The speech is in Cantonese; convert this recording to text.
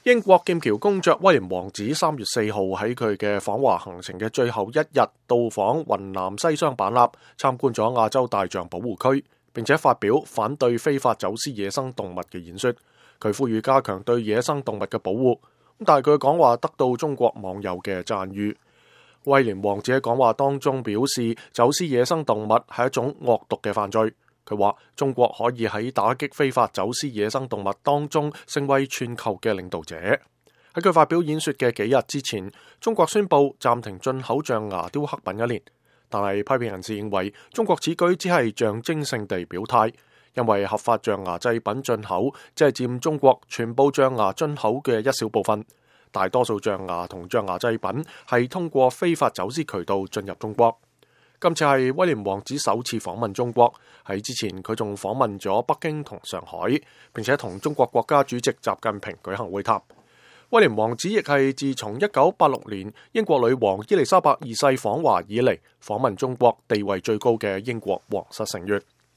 英國劍橋公爵威廉王子3月4號喺佢嘅訪華行程嘅最後一日，到訪雲南西雙版納，參觀咗亞洲大象保護區，並且發表反對非法走私野生動物嘅演說。佢呼籲加強對野生動物嘅保護，但係佢嘅講話得到中國網友嘅讚譽。威廉王子喺講話當中表示，走私野生動物係一種惡毒嘅犯罪。佢話中國可以喺打擊非法走私野生動物當中成為全球嘅領導者。喺佢發表演說嘅幾日之前，中國宣布暫停進口象牙雕刻品1年，但係批評人士認為中國此舉只係象徵性地表態，因為合法象牙製品進口只係佔中國全部象牙進口嘅一小部分，大多數象牙同象牙製品係通過非法走私渠道進入中國。今次係威廉王子首次訪問中國，喺之前佢仲訪問咗北京同上海，並且同中國國家主席習近平舉行會談。威廉王子亦係自從1986年英國女王伊麗莎白2世訪華以嚟，訪問中國地位最高嘅英國皇室成員。